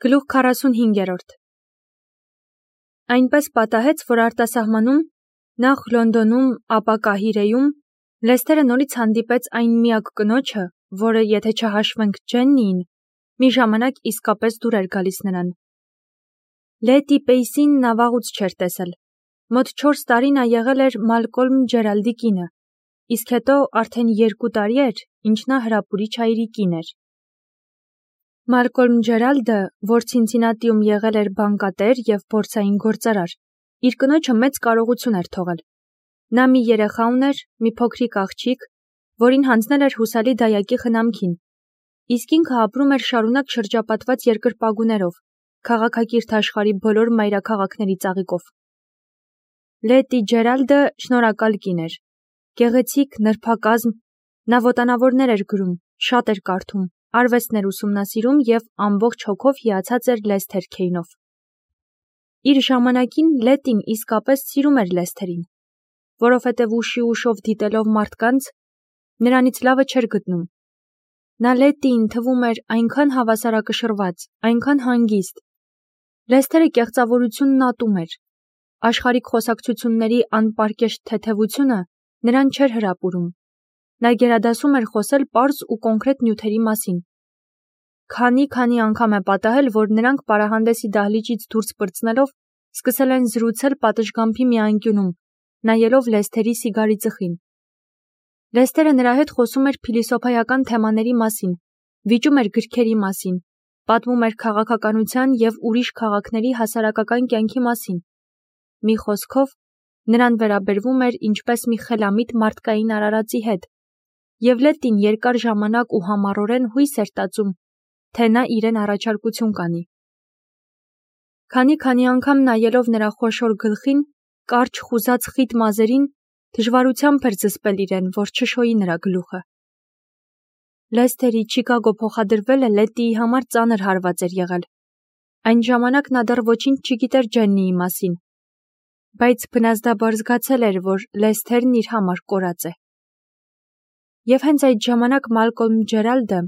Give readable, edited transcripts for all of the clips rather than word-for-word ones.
Գլուխ 45-րդ Այնպես պատահեց, որ արտասահմանում, նախ Լոնդոնում, ապա Կահիրեում, Լեսթերը նորից հանդիպեց այն միակ կնոջը, որը, եթե չհաշվենք Ջեննիին, մի ժամանակ իսկապես դուր էր գալիս նրան։ Լետի Պեյսին նա վաղուց չէր տեսել։ Մոտ 4 տարի նա եղել էր Մալկոլմ Ջերալդի կինը, իսկ հետո արդեն 2 տարի էր, ինչ նա հրապուրիչ հայրի կին էր։ Մալկոլմ Ջերալդը, որ Ցինցինատիում եղել էր բանկատեր և բորսային գործարար, իր կնոջը մեծ կարողություն էր թողել։ Նա մի երեխա ուներ, մի փոքրիկ աղջիկ, որին հանձնել էր հուսալի դայակի խնամքին, իսկ ինքը ապրում էր շարունակ շրջապատված երկրպագուներով, քաղաքակիրթ աշխարհի բոլոր մայրաքաղաքների ծաղիկով։ Լետի Ջերալդը շնորհակալ կին էր, գեղեցիկ, նրբակազմ, նա ոտանավորներ էր գրում, շատ էր կարդում, արվեստներ ուսումնասիրում և ամբողջ հոգով հիացած էր Լեսթեր Քեյնով։ Իր ժամանակին Լետին իսկապես սիրում էր Լեսթերին, որովհետև ուշի ուշով դիտելով մարդկանց, նրանից լավը չէր գտնում։ Նա Լետիին թվում էր այնքան հավասարակշռված, այնքան հանգիստ։ Լեսթերը կեղծավորությունն ատում էր։ Աշխարհիկ խոսակցությունների անպարկեշտ թեթևությունը նրան չէր հրապուրում։ Նա գերադասում էր խոսել պարզ ու կոնկրետ նյութերի մասին։ Քանի անգամ է պատահել, որ նրանք պարահանդեսի դահլիճից դուրս պրծնելով սկսել են զրուցել պատշգամբի մի անկյունում, նայելով Լեսթերի սիգարի ծխին։ Լեսթերը նրա հետ խոսում էր փիլիսոփայական թեմաների մասին, վիճում էր գրքերի մասին, պատմում էր քաղաքականության և ուրիշ քաղաքների հասարակական կյանքի մասին։ Մի խոսքով, նրան վերաբերվում էր ինչպես մի խելամիտ մարդկային արարածի հետ, և Լետին երկար ժամանակ ու համառորեն հույս էր տածում, թե նա իրեն առաջարկություն կանի։ Քանի անգամ նայելով նրա խոշոր գլխին, կարճ խուզած խիտ մազերին, դժվարությամբ էր զսպել իրեն, որ չշոյի նրա գլուխը։ Լեսթերի Չիկագո փոխադրվելը Լետիի համար ծանր հարված էր եղել։ Այն ժամանակ նա դեռ ոչինչ չգիտեր Ջեննիի մասին, բայց բնազդաբար զգացել էր, որ Լեսթերն իր համար կորած է։ Եվ հենց այդ ժամանակ Մալկոլմ Ջերալդը,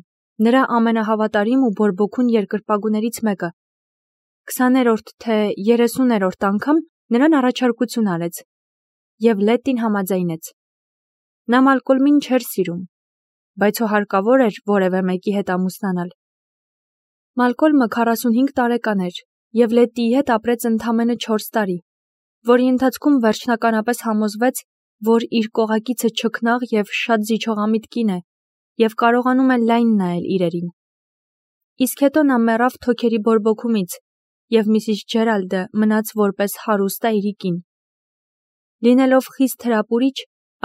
նրա ամենահավատարիմ ու բորբոքուն երկրպագուներից մեկը, 20-րդ թե 30-րդ անգամ նրան առաջարկություն արեց, և Լետին համաձայնեց։ Նա Մալկոլմին չէր սիրում, բայց հարկավոր էր որևէ մեկի հետ ամուսնանալ։ Մալկոլմը 45 տարեկան էր և Լետիի հետ ապրեց ընդամենը 4 տարի, որի ընթացքում վերջնականապես համոզվեց, որ իր կողակիցը չքնաղ և շատ զիջողամիտ կին է և կարողանում է լայն նայել իրերին։ Իսկ հետո նա մեռավ թոքերի բորբոքումից, և Միսիս Ջերալդը մնաց որպես հարուստ այրի կին։ Լինելով խիստ հրապուրիչ,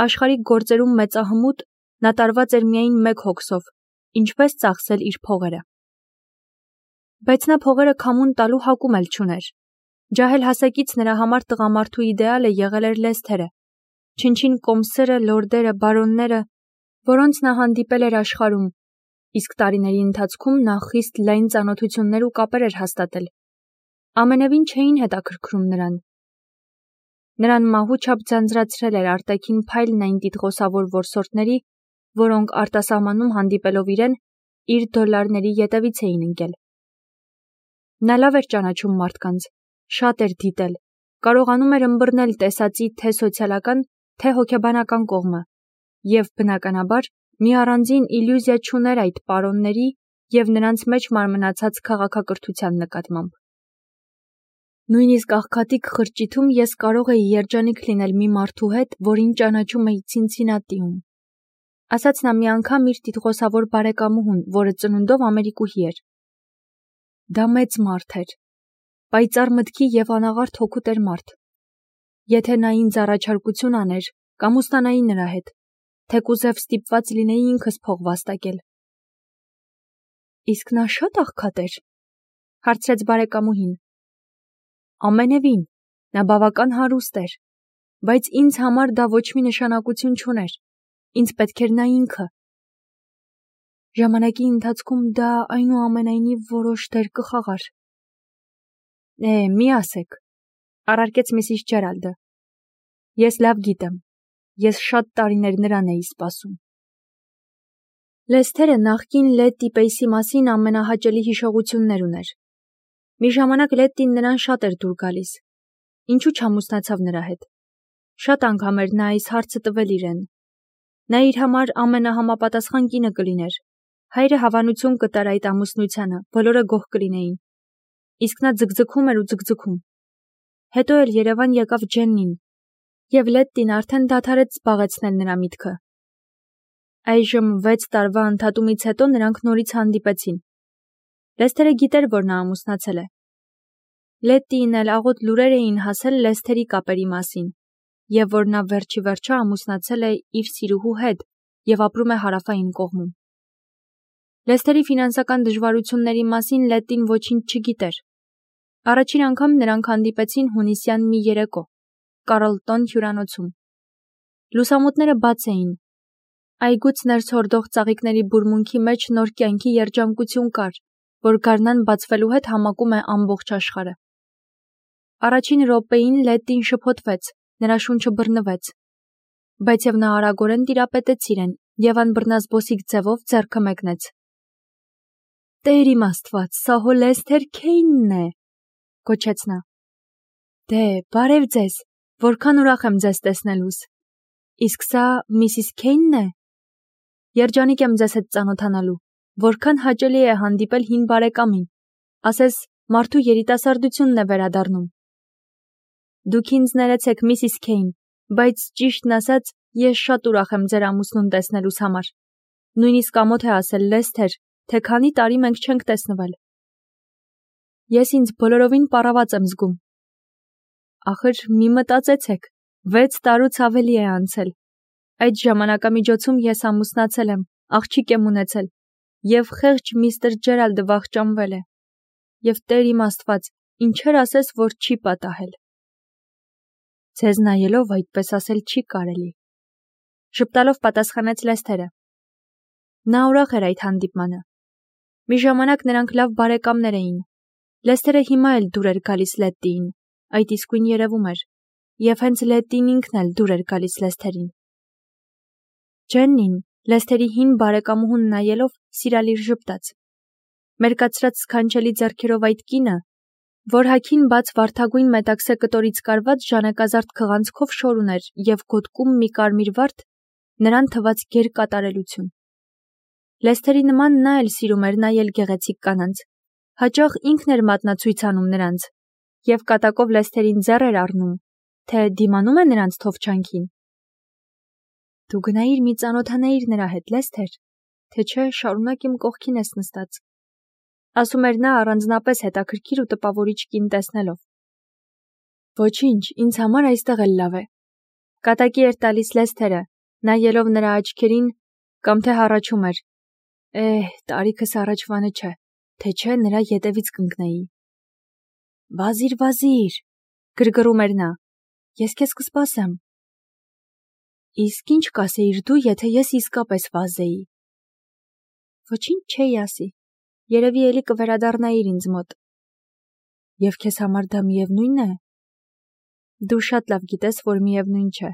աշխարհիկ գործերում մեծահմուտ, նա տարված էր միայն մեկ հոգսով՝ ինչպես ծախսել իր փողերը։ Բայց նա փողերը քամուն տալու հակում էլ չուներ։ Ջահել հասակից նրա համար տղամարդու իդեալը եղել էր Լեսթերը, չնչին կոմսերը, լորդերը, բարոնները, որոնց նա հանդիպել էր աշխարհում, իսկ տարիների ընթացքում նա խիստ լայն ծանոթություններ ու կապեր էր հաստատել, ամենևին չէին հետաքրքրում նրան։ Նրան մահու չափ ձանձրացրել էր արտաքին փայլն այն տիտղոսավոր որսորդների, որոնք արտասահմանում հանդիպելով իրեն, իր դոլարների ետևից էին ընկել։ Նա լավ էր ճանաչում մարդկանց, շատ էր դիտել, կարողանում էր ըմբռնել տեսածի թե սոցիալական, թե հոգեբանական կողմը, և բնականաբար մի առանձին իլյուզիա չուներ այդ պարոնների և նրանց մեջ մարմնացած քաղաքակրթության նկատմամբ։ Նույնիսկ աղքատիկ խրճիթում ես կարող էի երջանիկ լինել մի մարդու հետ, որին ճանաչում էի Ցինցինատիում, ասաց նա մի անգամ իր տիտղոսավոր բարեկամուհուն, որը ծնունդով ամերիկուհի էր։ Դա մեծ մարդ էր, պայծառ մտքի և անաղարտ հոգու տեր մարդ։ Եթե նա ինձ առաջարկություն աներ, կամուսնանայի նրա հետ, թեկուզև ստիպված լինեի ինքս փող վաստակել։ Իսկ նա շատ աղքատ էր, հարցրեց բարեկամուհին։ Ամենևին, նա բավական հարուստ էր, բայց ինձ համար դա ոչ մի նշանակություն չուներ, ինձ պետք էր նա ինքը։ Ժամանակի ընթացքում դա այնուամենայնիվ որոշ դեր կխաղար։ Մի ասեք, առարկեց Միսիս Ջերալդը։ Ես լավ գիտեմ, ես շատ տարիներ նրան էի սպասում։ Լեսթերը նախկին Լետի Պեյսի մասին ամենահաճելի հիշողություններ ուներ։ Մի ժամանակ Լետտին նրան շատ էր դուր գալիս։ Ինչու չամուսնացավ նրա հետ։ Շատ անգամ էր նա այս հարցը տվել իրեն։ Նա իր համար ամենահամապատասխան կինը կլիներ։ Հայրը հավանություն կտար այդ ամուսնությանը, բոլորը գոհ կլինեին։ Իսկ նա ձգձգում էր ու ձգձգում։ Հետո էլ Երևան եկավ Ջեննին, և Լետտին արդեն դադարեց զբաղեցնել նրա միտքը։ Այժմ 6 տարվա ընդհատումից հետո նրանք նորից հանդիպեցին։ Լեսթերը գիտեր, որ նա ամուսնացել է։ Լետտիին էլ աղոտ լուրեր էին հասել Լեսթերի կապերի մասին, և որ նա վերջիվերջո ամուսնացել է իր սիրուհու հետ և ապրում է հարավային կողմում։ Լեսթերի ֆինանսական դժվարությունների մասին Լետտին ոչինչ չգիտեր։ Առաջին անգամ նրանք հանդիպեցին հունիսյան մի երեկո, Կարլտոն հյուրանոցում։ Լուսամուտները բաց էին։ Այգուց ներս հորդող ծաղիկների բուրմունքի մեջ նոր կյանքի երջանկություն կար, որ գարնան բացվելու հետ համակում է ամբողջ աշխարհը։ Առաջին րոպեին Լետտին շփոթվեց, նրա շունչը բռնվեց, բայց և նա արագորեն տիրապետեց իրեն և անբռնազբոսիկ ձևով ձեռքը մեկնեց։ «Տեր իմ Աստված, սա հո Լեսթեր Քեյնն է», գոչեց նա։ «Դե, բարև ձեզ, որքան ուրախ եմ ձեզ տեսնելուս։ Իսկ սա Միսիս Քեյնն է։ Երջանիկ եմ ձեզ հետ ծանոթանալու, որքան հաճելի է հանդիպել հին բարեկամին, ասես մարդու երիտասարդությունն է վերադառնում։ Դուք ինձ ներեցեք, Միսիս Քեյն, բայց ճիշտն ասած, ես շատ ուրախ եմ ձեր ամուսնուն տեսնելուս համար։ Նույնիսկ ամոթ է ասել Լեսթեր, թե քանի տարի մենք չենք տեսնվել։ Ես ինձ բոլորովին պառաված եմ զգում։ Ախր մի մտածեցեք, 6 տարուց ավելի է անցել։ Այդ ժամանակամիջոցում ես ամուսնացել եմ, աղջիկ եմ ունեցել, և խեղճ միստր Ջերալդը վախճանվել է։ Եվ Տեր իմ Աստված, ինչեր ասես, որ չի պատահել։ Ձեզ նայելով այդպես ասել չի կարելի, ժպտալով պատասխանեց Լեսթերը։ Նա ուրախ էր այդ հանդիպմանը։ Մի ժամանակ նրանք լավ բարեկամներ էին։ Լեսթերը հիմա էլ դուր էր գալիս Լետտիին, այդ իսկույն երևում էր, և հենց Լետտին ինքն էլ դուր էր գալիս Լեսթերին։ Ջեննին, Լեսթերի հին բարեկամուհուն նայելով, սիրալիր ժպտաց։ Մերկացրած սքանչելի ձեռքերով այդ կինը, որ հագին բաց վարդագույն մետաքսե կտորից կարված ժանեկազարդ քղանցքով շոր ուներ և գոտկում մի կարմիր վարդ, նրան թվաց գերկատարելություն։ Լեսթերի նման նա էլ սիրում էր նայել գեղեցիկ կանանց, հաճախ ինքն էր մատնացույց անում նրանց, և կատակով Լեսթերին ձեռ էր առնում, թե դիմանում է նրանց թովչանքին։ Դու գնայիր մի ծանոթանայիր նրա հետ, Լեսթեր, թե չէ շարունակ իմ կողքին ես նստած, ասում էր նա առանձնապես հետաքրքիր ու տպավորիչ կին տեսնելով։ Ոչինչ, ինձ համար այստեղ էլ լավ է։ Կատակի էր տալիս Լեսթերը, նայելով նրա աչքերին, կամ թե հառաչում էր. տարիքս առաջվանը չէ, թե չէ նրա ետևից կընկնեի։ Վազիր, գրգռում էր նա, ես քեզ կսպասեմ։ Իսկ ինչ կասեիր դու, եթե ես իսկապես վազեի։ Ոչինչ չէի ասի, երևի էլի կվերադառնայիր ինձ մոտ։ Եվ քեզ համար դա միևնույն է։ Դու շատ լավ գիտես, որ միևնույն չէ,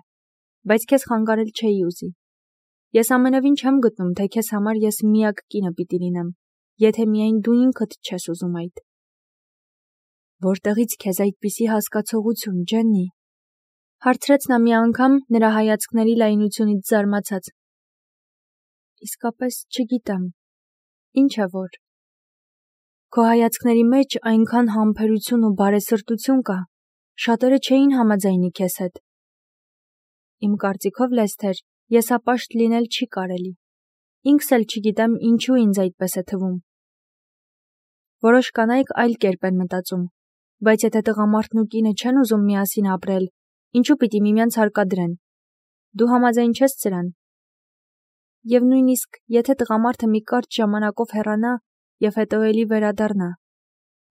բայց քեզ խանգարել չէի ուզի։ Ես ամենևին չեմ գտնում, թե քեզ համար ես միակ կինը պիտի լինեմ, եթե միայն դու ինքդ չես ուզում այդ։ Որտեղից քեզ այդպիսի հասկացողություն, Ջեննի, հարցրեց նա մի անգամ նրա հայացքների լայնությունից զարմացած։ Իսկապես չգիտեմ, ինչ է որ։ Քո հայացքների մեջ այնքան համբերություն ու բարեսրտություն կա, շատերը չէին համաձայնի քեզ հետ։ Իմ կարծիքով, Լեսթեր, եսապաշտ լինել չի կարելի։ Ինքս էլ չգիտեմ ինչու ինձ այդպես է թվում։ Որոշ կանայք այլ կերպ են մտածում, բայց եթե տղամարդն ու կինը չեն ուզում միասին ապրել, ինչու պիտի միմյանց հարկադրեն։ Դու համաձայն չես սրան։ Եվ նույնիսկ եթե տղամարդը մի կարճ ժամանակով հեռանա և հետո էլի վերադառնա,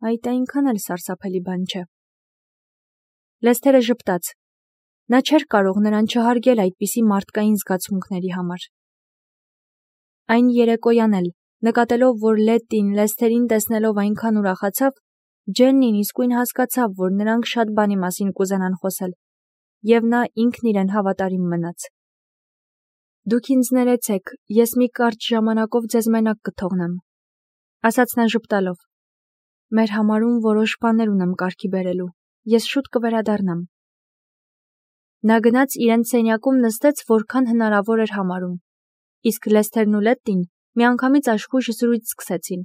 այդ այնքան էլ սարսափելի բան չէ։ Լեսթերը ժպտաց։ Նա չէր կարող նրան չհարգել այդպիսի մարդկային զգացմունքների համար։ Այն երեկոյան էլ, նկատելով, որ Լետտին Լեսթերին տեսնելով այնքան ուրախացավ, Ջեննին իսկույն հասկացավ, որ նրանք շատ բանի մասին կուզենան խոսել, և նա ինքն իրեն հավատարիմ մնաց։ Դուք ինձ ներեցեք, ես մի կարճ ժամանակով ձեզ մենակ կթողնեմ, ասաց նա ժպտալով։ Մեր համարում որոշ բաներ ունեմ կարգի բերելու։ Ես շուտ կվերադառնամ։ Նա գնաց իրեն սենյակում նստեց, որքան հնարավոր էր համարում։ Իսկ Լեսթերն ու Լետտին միանգամից աշխույժ զրույց սկսեցին։